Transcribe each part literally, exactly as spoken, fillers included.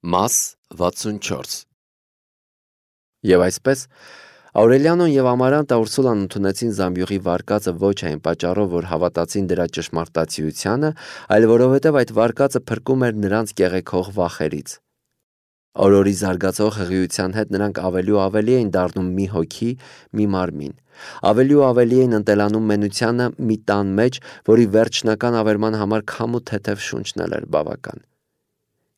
Մաս վաթսունչորս Եվ այսպես Աուրելիանոն և Ամարանտը Ուրսուլան ընդունեցին զամբյուղի վարկածը ոչ այն պատճառով, որ հավատացին դրա ճշմարտացիությանը, այլ որովհետև այդ վարկածը փրկում էր նրանց կեղեքող վախերից։ Օրորի զարգացող հղիության հետ նրանք ավելի ու ավելի էին դառնում մի հոգի, մի մարմին։ Ավելի ու ավելի էին ընտելանում մենությանը մի տան մեջ, որի վերջնական ավերման համար քամու թեթև շունչն էլ էր բավական։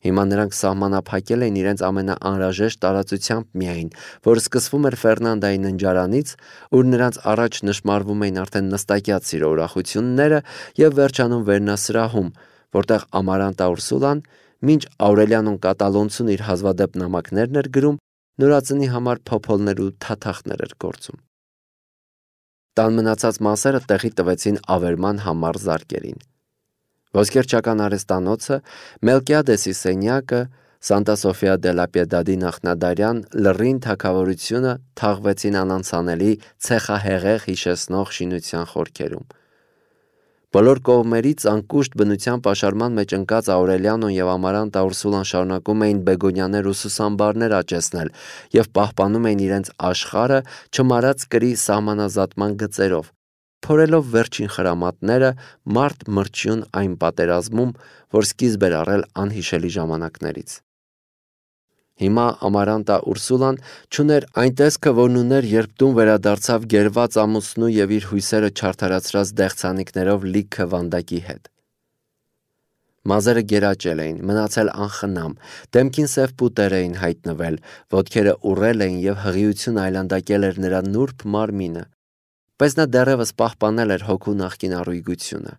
Հիմա նրանք սահմանափակել էին իրենց ամենաանհրաժեշտ տարածությամբ միայն, որ սկսվում էր Ֆերնանդայի ննջարանից, ուր նրանց առաջ նշմարվում էին արդեն նստակյաց սիրո ուրախությունները և վերջանում վերնասրահում, որտեղ Ամարանտա Ուրսուլան, մինչ Աուրելիանոն կատալոնցուն իր հազվադեպ նամակներն էր գրում, նորածնի համար փոփոլներ ու թաթախներ էր գործում։ Տան մնացած մասերը տեղի տվեցին ավերման համառ զարկերին։ Ոսկերչական արհեստանոցը, Մելկիադեսի սենյակը, Սանտա Սոֆիա դե լա Պիեդադի նախնադարյան լռին թագավորությունը թաղվեցին անանցանելի ցեխահեղեղ հիշեցնող շինության խորքերում։ Բոլոր կողմերից անկուշտ բնության պաշարման մեջ ընկած Աուրելիանոն և Ամարանտա Ուրսուլան շարունակում էին բեգոնյաներ ու սուսամբարներ աճեցնել և պահպանում էին իրենց աշխարհը չմարած կրի սահմանազատման գծերով, փորելով վերջին խրամատները մարդ մրջյուն այն պատերազմում, որ սկիզբ էր առել անհիշելի ժամանակներից։ Հիմա Ամարանտա Ուրսուլան չուներ այն տեսքը, որն ուներ, երբ տուն վերադարձավ գերված ամուսնու և իր հույսերը չարդարացրած դեղցանիկներով լիքը վանդակի հետ։ Մազերը գերաճել էին, մնացել անխնամ, դեմքին սև պուտեր էին հայտնվել, ոտքերը ուռել էին և հղիություն այլանդակել էր նրա նուրբ մարմինը, բայց նա դեռևս պահպանել էր հոգու նախկին առույգությունը։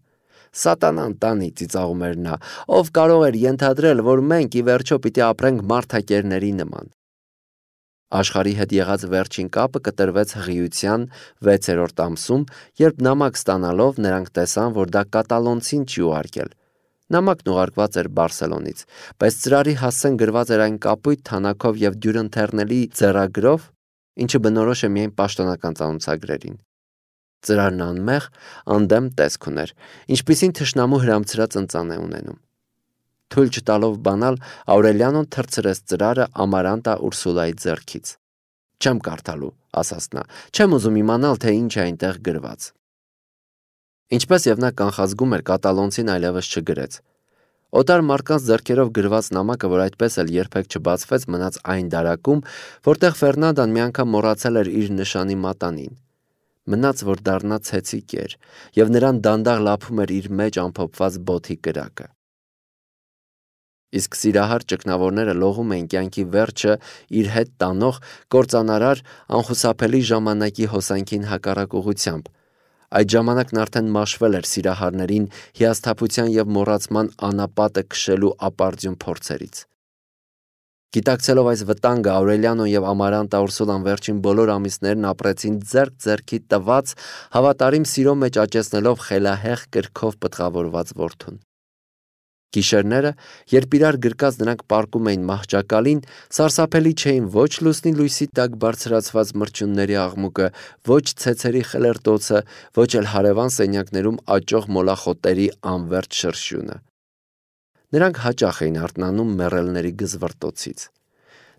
Սատանան տանի, ծիծաղում էր նա, ով կարող էր ենթադրել, որ մենք ի վերջո պիտի ապրենք մարդակերների նման։ Աշխարհի հետ եղած վերջին կապը կտրվեց հղիության վեցերորդ ամսում, երբ նամակ ստանալով նրանք տեսան, որ դա կատալոնցին չի ուղարկել։ Նամակն ուղարկված էր Բարսելոնից, բայց ծրարի հասցեն գրված էր այն կապույտ թանաքով և դյուրընթեռնելի ձեռագրով, ինչը բնորոշ է միայն պաշտոնական ծանոթագրերին։ Ծրարն անմեղ, անդեմ տեսք ուներ, ինչպիսին թշնամու հրամցրած ընծան է ունենում։ Թույլ չտալով բանալ, Աուրելիանոն թռցրեց ծրարը Ամարանտա Ուրսուլայի ձեռքից։ Չեմ կարդալու, ասաց նա, չեմ ուզում իմանալ, թե ինչ է այնտեղ գրված։ Ինչպես և նա կանխազգում էր, կատալոնցին այլևս չգրեց։ Օտար մարդկանց ձեռքերով գրված նամակը, որ այդպես էլ երբեք չբացվեց, մնաց այն դարակում, որտեղ Ֆերնանդան մի անգամ մոռացել էր իր նշանի մատանին։ Մնաց, որ դառնա ցեցի կեր, և նրան դանդաղ լափում էր իր մեջ ամփոփված բոթի կրակը։ Իսկ սիրահար ճգնավորները լողում էին կյանքի վերջը իր հետ տանող կործանարար անխուսափելի ժամանակի հոսանքին հակառակ ուղղությամբ։ Այդ ժամանակն արդեն մաշվել էր սիրահարներին հիասթափության և մոռացման անապատը քշելու ապարդյուն փորձերից։ Գիտակցելով այս վտանգը, Աուրելիանոն և Ամարանտա Ուրսուլան վերջին բոլոր ամիսներն ապրեցին ձեռք ձեռքի տված, հավատարիմ սիրո մեջ աճեցնելով խելահեղ կրքով պտղավորված որդուն։ Գիշերները, երբ իրար գրկած նրանք պառկում էին մահճակալին, սարսափելի չէին ոչ լուսնի լույսի տակ բարձրացված մրջյունների աղմուկը, ոչ ցեցերի խլերտոցը, ոչ էլ հարևան սենյակներում աճող մոլախոտերի անվերջ շրշյունը։ Նրանք հաճախ էին արթնանում մեռելների գզվռտոցից։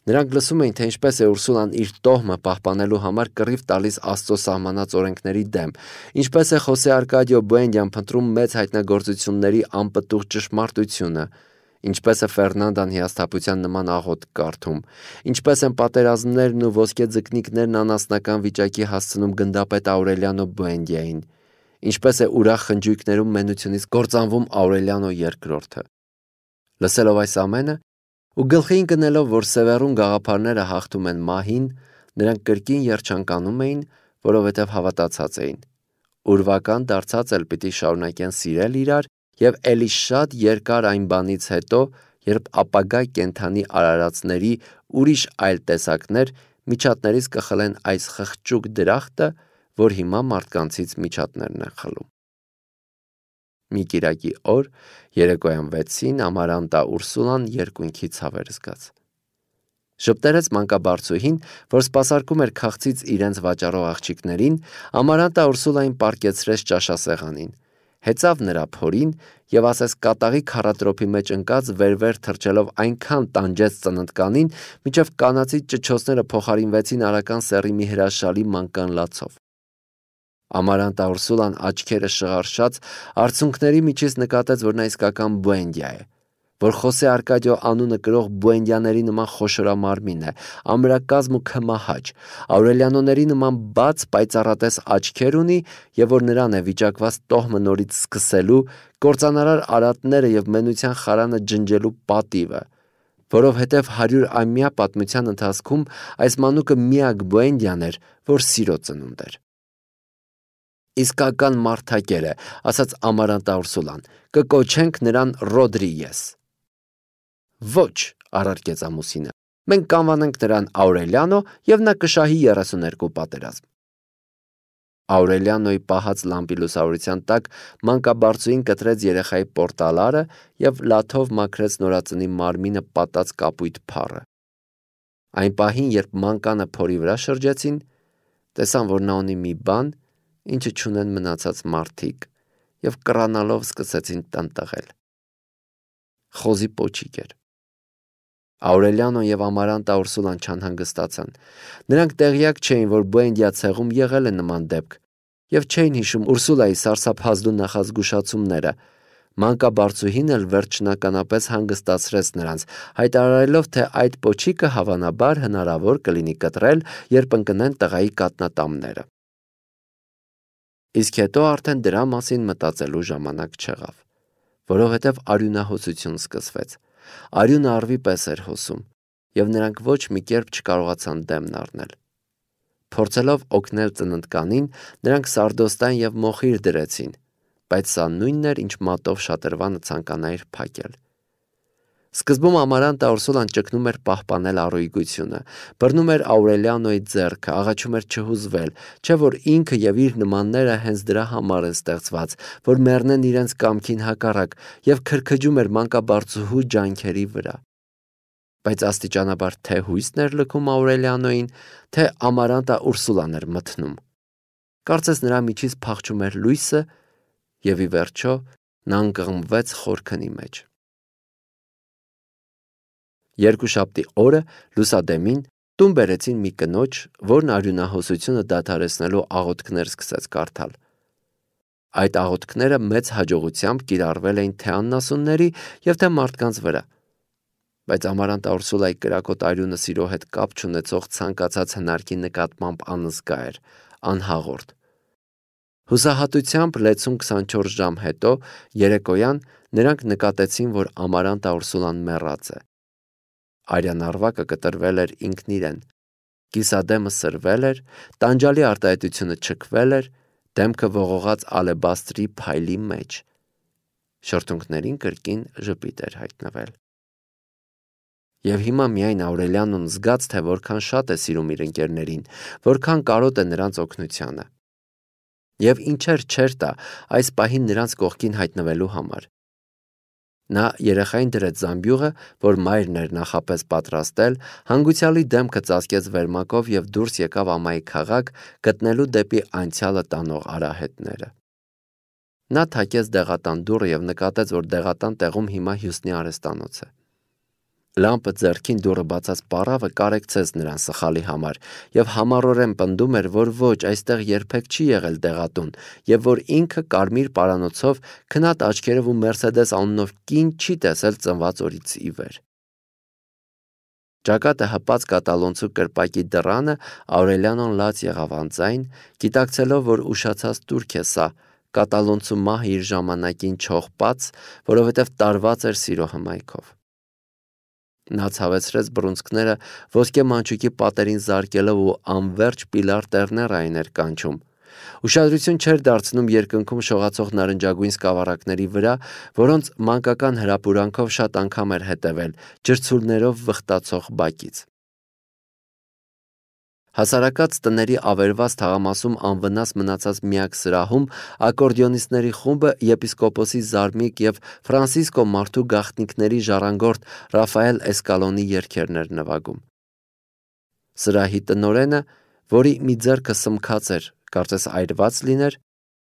Նրանք լսում էին, թե ինչպես է Ուրսուլան իր տոհմը պահպանելու համար կռիվ տալիս Աստծո սահմանած օրենքների դեմ, ինչպես է Խոսե Արկադիո Բուենդյան փնտրում մեծ հայտնագործությունների անպտուղ ճշմարտությունը, ինչպես է Ֆերնանդան հիասթափության նման աղոթք կարդում, ինչպես են պատերազմներն ու ոսկե ձկնիկներն անասնական վիճակի հասցնում գնդապետ Աուրելիանո Բուենդիային, ինչպես է ուրախ խնջույքներում մենությունից կործանվում Աուրելիանո երկրորդը։ Լսելով այս ամենը ու գլխի ընկնելով, որ Սևեռուն գաղափարները հաղթում են մահին, նրանք կրկին երջանկանում էին, որովհետև հավատացած էին։ Ուրվական դարձած էլ պիտի շարունակեն սիրել իրար և էլի շատ երկար այն բանից հետո, երբ ապագա կենդանի արարածների ուրիշ այլ տեսակներ միջատներից կխլեն այս խղճուկ դրախտը, որ հիմա մարդկանցից միջատներն են խլում։ Մի կիրակի օր, երեկոյան վեցին, Ամարանտա Ուրսուլան երկունքի ցավեր զգաց։ Ժպտերեց մանկաբարձուհին, որ սպասարկում էր քաղցից իրենց վաճառող աղջիկներին, Ամարանտա Ուրսուլային պառկեցրեց ճաշասեղանին, հեծավ նրա փորին եւ ասես կատաղի քառատրոփի մեջ ընկած վեր-վեր թռչելով այնքան տանջեց ծննդկանին, մինչև կանացի ճչոցները փոխարինվեցին արական սեռի մի հրաշալի մանկան լացով։ Ամարանտա Ուրսուլան աչքերը շղարշաց արցունքների միջից նկատեց, որ նա իսկական բուենդիա է, որ Խոսե Արկադիո անունը կրող բուենդիաների նման խոշորամարմին է, ամրակազմ ու քմահաճ, Աուրելիանոների նման բաց պայծառատես աչքեր ունի եւ որ նրան է վիճակված տոհմը նորից սկսելու, կործանարար արատները եւ մենության խարանը ջնջելու պատիվը, որովհետեւ հարյուր ամյա պատմության ընթացքում այս մանուկը միակ բուենդիան էր, որ սիրո ծնունդ էր։ Իսկական մարդակեր է, ասաց Ամարանտա Ուրսուլան, կկոչենք նրան Ռոդրիգես։ Ոչ, առարկեց ամուսինը, մենք կանվանենք նրան Աուրելիանո եւ նա կշահի երեսուներկու պատերազմ։ Աուրելիանոյի պահած լամպի լուսավորության տակ մանկաբարձուին կտրեց երեխայի պորտալարը եւ լաթով մաքրեց նորածնի մարմինը պատած կապույտ փառը։ Այն պահին, երբ մանկանը փորի վրա շրջեցին, տեսան, որ նա ունի մի բան, ինչը չունեն մնացած մարդիկ, եւ կռանալով սկսեցին տնտղել։ Խոզի պոչիկ էր։ Աուրելիանոն եւ Ամարանտա Ուրսուլան չանհանգստացան։ Նրանք տեղյակ չէին, որ Բուենդիա ցեղում եղել է նման դեպք, եւ չէին հիշում Ուրսուլայի սարսափազդու նախազգուշացումները։ Մանկաբարձուհին էլ վերջնականապես հանգստացրեց նրանց, հայտարարելով, թե այդ պոչիկը հավանաբար հնարավոր կլինի կտրել, երբ ընկնեն տղայի կատնատամները։ Իսկ հետո արդեն դրա մասին մտածելու ժամանակ չեղավ, որովհետև արյունահոսություն սկսվեց։ Արյունը արվի պես էր հոսում, եւ նրանք ոչ մի կերպ չկարողացան դեմն առնել։ Փորձելով օգնել ծննդկանին, նրանք սարդոստան եւ մոխիր դրեցին, բայց սա նույնն էր, ինչ մատով շատրվանը ցանկանայր փակել։ Սկզբում Ամարանտա Ուրսուլան ճգնում էր պահպանել առույգությունը, բռնում էր Աուրելիանոյի ձեռքը, աղաչում էր չհուզվել, չէ՞ որ ինքը եւ իր նմանները հենց դրա համար են ստեղծված, որ մեռնեն իրենց կամքին հակառակ, եւ քրքջում էր մանկաբարձուհու ջանքերի վրա։ Բայց աստիճանաբար թե հույսն էր լքում Աուրելիանոյին, թե Ամարանտա Ուրսուլան էր մթնում։ Կարծես նրա միջից փախչում էր լույսը, եւ ի վերջո նա ընկղմվեց խորքնի մեջ։ Երկուշաբթի օրը լուսադեմին տուն բերեցին մի կնոջ, որն արյունահոսությունը դադարեցնելու աղոթքներ սկսեց կարդալ։ Այդ աղոթքները մեծ հաջողությամբ կիրառվել էին թե աննասունների եւ թե մարդկանց վրա, բայց Ամարանտա Ուրսուլայի կրակոտ արյունը սիրո հետ կապ չունեցող ցանկացած հնարքի նկատմամբ անզգա էր, անհաղորդ։ Հուսահատությամբ լեցուն քսանչորս ժամ հետո երեկոյան նրանք նկատեցին, որ Ամարանտա Ուրսուլան մեռած է։ Արյան արվակը կտրվել էր ինքն իրեն, կիսադեմը սրվել էր, տանջալի արտահայտությունը չքվել էր, դեմքը ողողած ալեբաստրի փայլի մեջ, շրթունքներին կրկին ժպիտ էր հայտնվել։ Եվ հիմա միայն Աուրելիանոն զգաց, թե որքան շատ է սիրում իր ընկերներին, որքան կարոտ է նրանց օգնությանը։ Եվ ինչեր չէր տա այս պահին նրանց կողքին հայտնվելու համար։ Նա երեխային դրեց զամբյուղը, որ մայրն էր նախապես պատրաստել, հանգուցյալի դեմքը ծածկեց վերմակով եւ դուրս եկավ ամայի քաղաք, գտնելու դեպի անցյալը տանող արահետները։ Նա թակեց դեղատան դուռը եւ նկատեց, որ դեղատան տեղում հիմա Հյուսնի արհեստանոց է։ Լամպը ձեռքին դուռը բացած պառավը կարեկցեց նրան սխալի համար եւ համառորեն պնդում էր, որ ոչ, այստեղ երբեք չի եղել դեղատուն եւ որ ինքը կարմիր պարանոցով քնած աչքերով ու Մերսեդես անունով կին չի տեսել ծնված օրից ի վեր։ Ճակատը հպած կատալոնցու կրպակի դռանը Աուրելիանոն լաց եղավ անձայն, գիտակցելով, որ ուշացած турք է սա, կատալոնցու մահը իր ժամանակին չողպած, որովհետև տարված էր սիրո հմայքով։ Նա ցավեցրեց բռունցքները ոսկե մանչուկի պատերին զարկելով ու անverջ պիլար տերներ այն էր կանչում։ Ուշադրություն չէր դարձնում երկնքում շողացող նարնջագույն սկավառակների վրա, որոնց մանկական հրապուրանքով շատ անգամ էր հետևել, ջրցուլներով վխտացող բակից։ Հասարակած տների ավերված թաղամասում անվնաս մնացած միակ սրահում ակորդեոնիստների խումբը եպիսկոպոսի Զարմիկ եւ Ֆրանսիսկո Մարդու գաղտնիքների ժառանգորդ Ռաֆայել Էսկալոնի երգերն էր նվագում։ Սրահի տնօրենը, որի մի ձեռքը սմքած էր, կարծես այրված լիներ,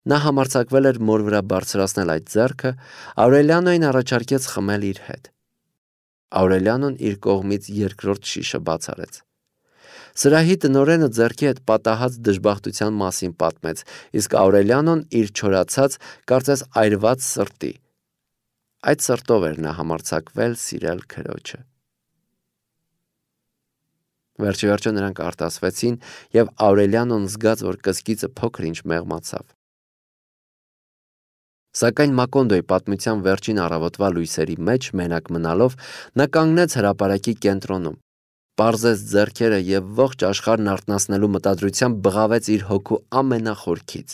Նա համարձակվել էր մոր վրա բարձրացնել այդ ձեռքը, Աուրելիանոին առաջարկեց խմել իր հետ։ Աուրելիանոն իր կողմից երկրորդ շիշը բաց արեց։ Սրահի տնօրենը ձեռքի հետ պատահած դժբախտության մասին պատմեց, իսկ Աուրելիանոն իր չորացած, կարծես այրված սրտի։ Այդ սրտով էր նա համարձակվել սիրել քրոջը։ Վերջիվերջո նրանք արտասվեցին, եւ Աուրելիանոն զգաց, որ կսկիծը փոքր-ինչ մեղմացավ։ Սակայն Մակոնդոյի պատմության վերջին առավոտվա լույսերի մեջ մենակ մնալով նա կանգնեց հրապարակի կենտրոնում, պարզեց ձեռքերը եւ ողջ աշխարհն արթնացնելու մտադրությամբ բղավեց իր հոգու ամենախորքից.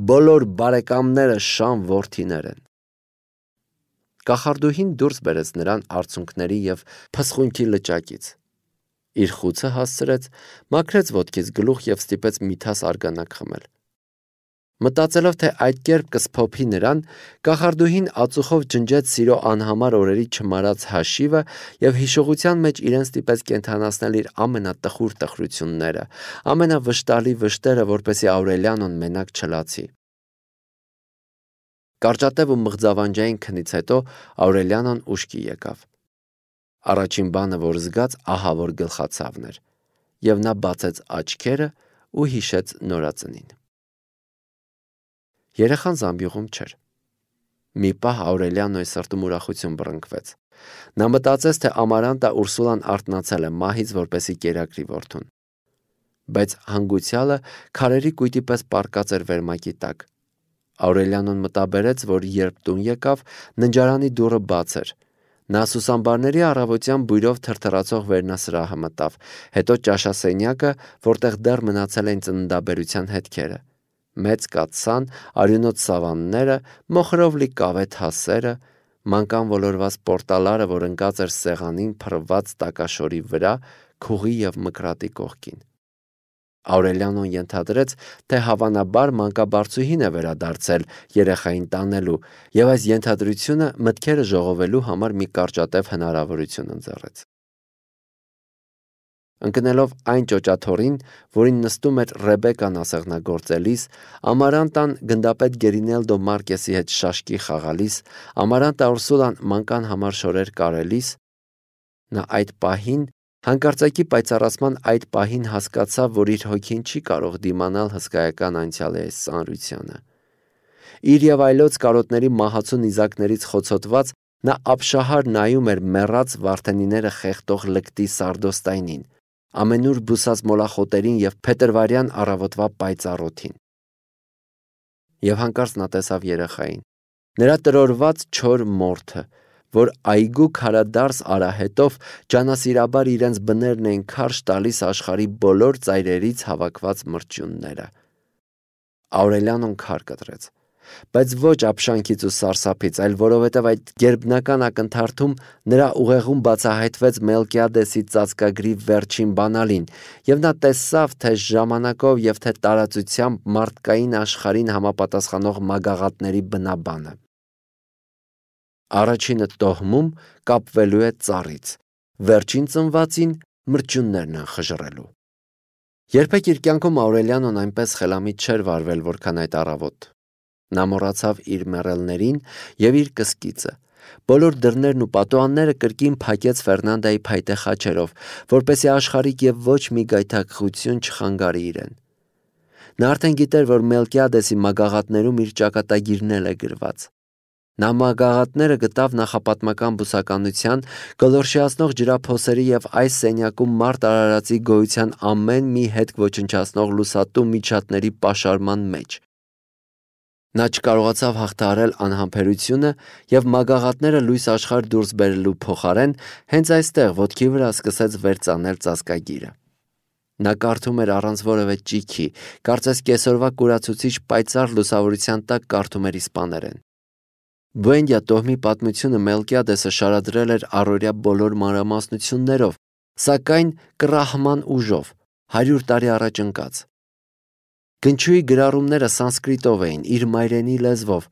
բոլոր բարեկամները շան որդիներ են։ Կախարդուհին դուրս բերեց նրան արցունքների եւ փսխունքի լճակից։ Իր խուցը հասցրեց, մաքրեց ոտքից գլուխ եւ ստիպեց միթաս արգանակ խմել։ Մտածելով, թե այդ կերպ կսփոփի նրան, կախարդուհին ածուխով ջնջեց սիրո անհամար օրերի չմարած հաշիվը եւ հիշողության մեջ իրեն ստիպեց կենթանացնել իր ամենատխուր տխրությունները, ամենավշտալի վշտերը, որպեսզի Աուրելիանոն մենակ չլացի։ Կարճատև ու մղձավանջային քնից հետո Աուրելիանոն ուշքի եկավ։ Առաջին բանը, որ զգաց, ահա որ գլխացավն էր, եւ նա բացեց աչքերը ու հիշեց նորածնին։ Երեխան զամբյուղում չէր։ Մի պահ Աուրելիանոյի սրտում ուրախություն բռնկվեց։ Նա մտածեց, թե Ամարանտա Ուրսուլան արթնացել է մահից, որպեսի կերակրի որդուն։ Բայց հանգուցյալը քարերի կույտի պես պառկած էր վերմակի տակ։ Աուրելիանոն մտաբերեց, որ երբ տուն եկավ, ննջարանի դուռը բաց էր։ Նա սուսամբարների առավոտյան բույրով թրթռացող վերնասրահը մտավ, հետո ճաշասենյակը, որտեղ դեռ մնացել էին ծննդաբերության հետքերը։ Մեծ կաթսան, արյունոտ սավանները, մոխրով լի կավե թասերը, մանկան ոլորված պորտալարը, որ ընկած էր սեղանին փռված տակաշորի վրա, քուղի եւ մկրատի կողքին։ Աուրելիանոն ենթադրեց, թե հավանաբար մանկաբարձուհին է վերադարձել երեխային տանելու, եւ այս ենթադրությունը մտքերը ժողովելու համար մի կարճատև հնարավորություն ընձեռեց։ Ընկնելով այն ճոճաթոռին, որին նստում էր Ռեբեկան ասեղնագործելիս, Ամարանտան գնդապետ Գերինելդո Մարկեսի հետ շաշկի խաղալիս, Ամարանտա Ուրսուլան մանկան համար շորեր կարելիս, նա այդ պահին, հանկարծակի պայծառացման այդ պահին հասկացավ, որ իր հոգին չի կարող դիմանալ հսկայական անցյալի այս ծանրությանը։ Իր եւ այլոց կարոտների մահացու նիզակներից խոցոտված, նա ապշահար նայում էր մեռած վարդենիները խեղդող լկտի սարդոստայնին, ամենուր բուսած մոլախոտերին եւ փետրվարյան առավոտվա պայծառոթին։ Եվ հանկարծ նա տեսավ երեխային, նրա տրորված չոր մորթը, որ այգու քարադարս արահետով ջանասիրաբար իրենց բներն էին քարշ տալիս աշխարհի բոլոր ծայրերից հավաքված մրջյունները։ Աուրելիանոն քար կտրեց, բայց ոչ ապշանքից ու սարսափից, այլ որովհետև այդ գերբնական ակնթարթում նրա ուղեղում բացահայտվեց Մելկիադեսի ծածկագրի վերջին բանալին, եւ նա տեսավ, թե ժամանակով եւ թե տարածությամբ մարդկային աշխարհին համապատասխանող մագաղատների բնաբանը։ Առաջինը տոհմում կապվելու է ծառից, վերջին ծնվածին մրջյուններն են խժռելու։ Երբեք իր կյանքում Աուրելիանոն այնպես խելամիտ չէր վարվել, որքան այդ առավոտ։ Նա մոռացավ իր մեռելներին եւ իր կսկիծը։ Բոլոր դռներն ու պատուհանները կրկին փակեց Ֆերնանդայի փայտե խաչերով, որպեսզի աշխարհիկ եւ ոչ մի գայթակղություն չխանգարի իրեն։ Նա արդեն գիտեր, որ Մելկիադեսի մագաղատներում իր ճակատագիրն է գրված։ Նա մագաղատները գտավ նախապատմական բուսականության, գոլորշիացնող ջրափոսերի եւ այս սենյակում մարդ արարածի գոյության ամեն մի հետք ոչնչացնող լուսատու միջատների պաշարման մեջ։ Նա չկարողացավ հաղթահարել անհամբերությունը եւ մագաղատները լույս աշխարհ դուրս բերելու փոխարեն հենց այստեղ ոտքի վրա սկսեց վերծանել ծածկագիրը։ Նա կարդում էր առանց որևէ ճիքի, կարծես կեսօրվա կուրացուցիչ պայծառ լուսավորության տակ կարդում էր իսպաներեն։ Բուենդիա տոհմի պատմությունը Մելկիադեսը շարադրել էր առօրյա բոլոր մանրամասնություններով, սակայն կռահման ուժով, հարյուր տարի առաջ ընկած։ Գնչուի գրառումները սանսկրիտով էին, իր մայրենի լեզվով։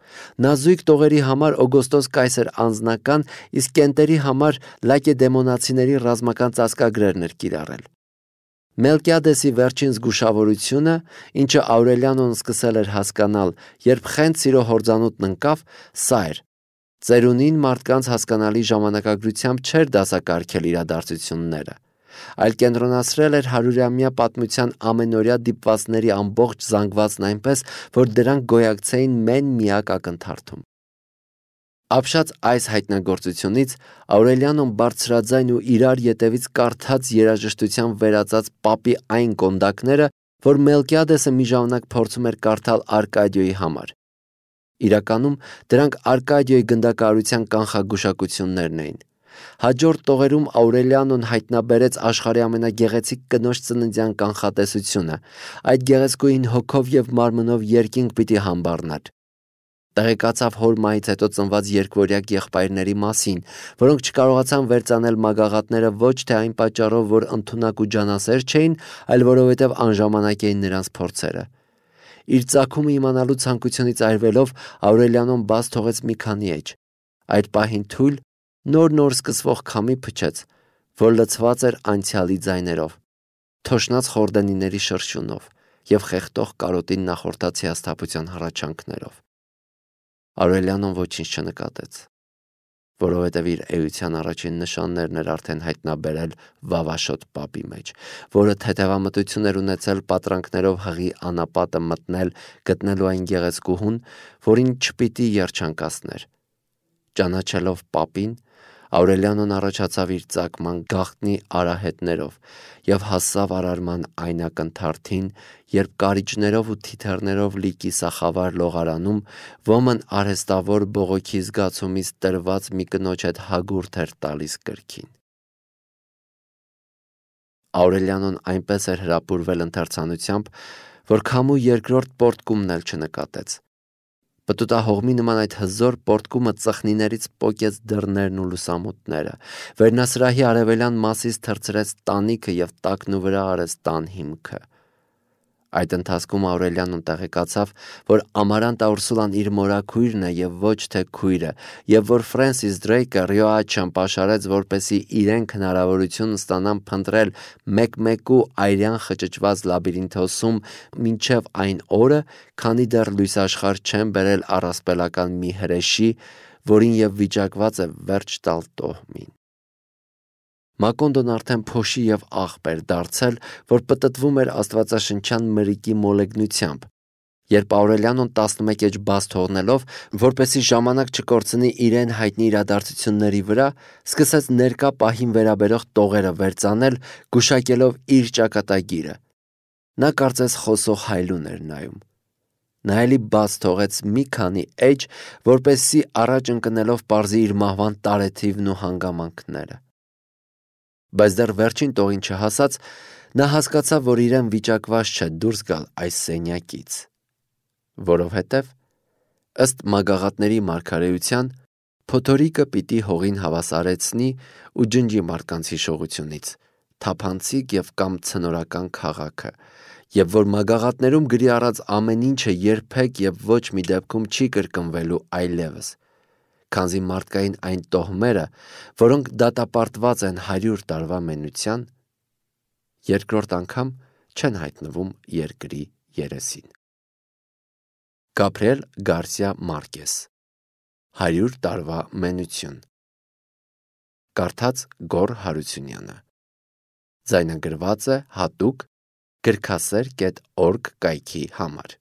Նա զույգ տողերի համար Օգոստոս կայսեր անձնական, իսկ կենտերի համար լակեդեմոնացիների ռազմական ծածկագրերն էր կիրառել։ Մելկիադեսի վերջին զգուշավորությունը, ինչը Աուրելիանոն սկսել էր հասկանալ, երբ խենթ սիրո հորձանուտն ընկավ, սա էր. ծերունին մարդկանց հասկանալի ժամանակագրությամբ չէր դասակարգել իրադարձությունները, այլ կենտրոնացրել էր հարյուրամյա պատմության ամենօրյա դիպվածների ամբողջ զանգվածն այնպես, որ դրանք գոյակցեին մեն միակ ակնթարթում։ Ապշած այս հայտնագործությունից Աուրելիանոն բարձրաձայն ու իրար ետևից կարդաց երաժշտության վերածած պապի այն կոնդակները, որ Մելկիադեսը մի ժամանակ փորձում էր կարդալ Արկադիոյի համար։ Իրականում դրանք Արկադիոյի գնդակահարության կանխագուշակություններն էին։ Հաջորդ տողերում Աուրելիանոն հայտնաբերեց աշխարհի ամենագեղեցիկ կնոջ ծննդյան կանխատեսությունը։ Այդ գեղեցկուհին հոգով և մարմնով երկինք պիտի համբառներ։ Տեղեկացավ հոր մահից հետո ծնված երկվորյակ եղբայրների մասին, որոնք չկարողացան վերծանել մագաղատները ոչ թե այն պատճառով, որ ընդունակ ու ջանասեր չէին, այլ որովհետև անժամանակ էին նրանց փորձերը։ Իր ծագումը իմանալու ցանկությունից այրվելով Աուրելիանոն բաց թողեց մի քանի էջ։ Այդ պահին թույլ, նոր-նոր սկսվող քամի փչեց, որ լցված էր անցյալի ձայներով, թոշնած խորդենիների շրշյունով և խեղդող կարոտին նախորդած հիասթափության հառաչանքներով։ Աուրելիանոն ոչինչ չնկատեց, որովհետև իր էության առաջին նշաններն էր արդեն հայտնաբերել վավաշոտ պապի մեջ, որը թեթևամտություն էր ունեցել պատրանքներով հղի անապատը մտնել գտնելու այն գեղեցկուհուն, որին չպիտի երջանկացներ։ Ճանաչելով պապին, Աուրելիանոն առաջացավ իր ծագման գաղտնի արահետներով և հասավ արարման այն ակնթարթին, երբ կարիճներով ու թիթեռներով լի կիսախավար լողարանում ոմն արհեստավոր բողոքի զգացումից տրված մի կնոջ հետ հագուրդ էր տալիս կրքին։ Աուրելիանոն այնպես էր հրապուրվել ընթերցանությամբ, որ քամու երկրորդ պոռթկումն էլ չնկատեց։ Պտուտահողմի նման այդ հզոր պոռթկումը ծխնիներից պոկեց դռներն ու լուսամուտները, վերնասրահի արևելյան մասից թռցրեց տանիքը և տակնու վրա արեց տան հիմքը։ Այդ ընթացքում Աուրելիանոն տեղեկացավ, որ Ամարանտա Ուրսուլան իր մորաքույրն է և ոչ թե քույրը, և որ Ֆրենսիս Դրեյկը Ռիոաչան պաշարեց, որպեսզի իրենք հնարավորություն ստանան փնտրել մեկ-մեկու այրյան խճճված լաբիրինթոսում մինչև այն օրը, քանի դեռ լույսաշխարհ չեն բերել առասպելական մի հրեշի, որին և վիճակված է վերջ տալ տոհմին։ Մակոնդոն արդեն փոշի և աղբ էր դարձել, որ պտտվում էր աստվածաշնչյան մրրիկի մոլեգնությամբ, երբ Աուրելիանոն տասնմեկ էջ բաց թողնելով, որպեսզի ժամանակ չկորցնի իրեն հայտնի իրադարձությունների վրա, սկսեց ներկա պահին վերաբերող տողերը վերծանել, գուշակելով իր ճակատագիրը։ Նա կարծես խոսող հայլուն էր նայում։ Նա էլի բաց թողեց մի քանի էջ, որպեսզի առաջ ընկնելով պարզի իր մահվան տարեթիվն ու հանգամանքները։ Բայց դեռ վերջին տողին չհասած, նա հասկացավ, որ իրեն վիճակված չէ դուրս գալ այս սենյակից, որովհետև, ըստ մագաղատների մարգարեության, փոթորիկը պիտի հողին հավասարեցնի ու ջնջի մարդկանց հիշողությունից թափանցիկ և կամ ցնորական քաղաքը, և որ մագաղատներում գրի առած ամեն ինչը երբեք և ոչ մի դեպքում չի կրկնվելու այլևս, քանզի մարդկային այն տոհմերը, որոնք դատապարտված են հարյուր տարվա մենության, երկրորդ անգամ չեն հայտնվում երկրի երեսին։ Գաբրիել Գարսիա Մարկես «Հարյուր տարվա մենություն», կարդաց Գոռ Հարությունյանը, ձայնագրված է հատուկ գրքասեր կետ օրգ կայքի համար։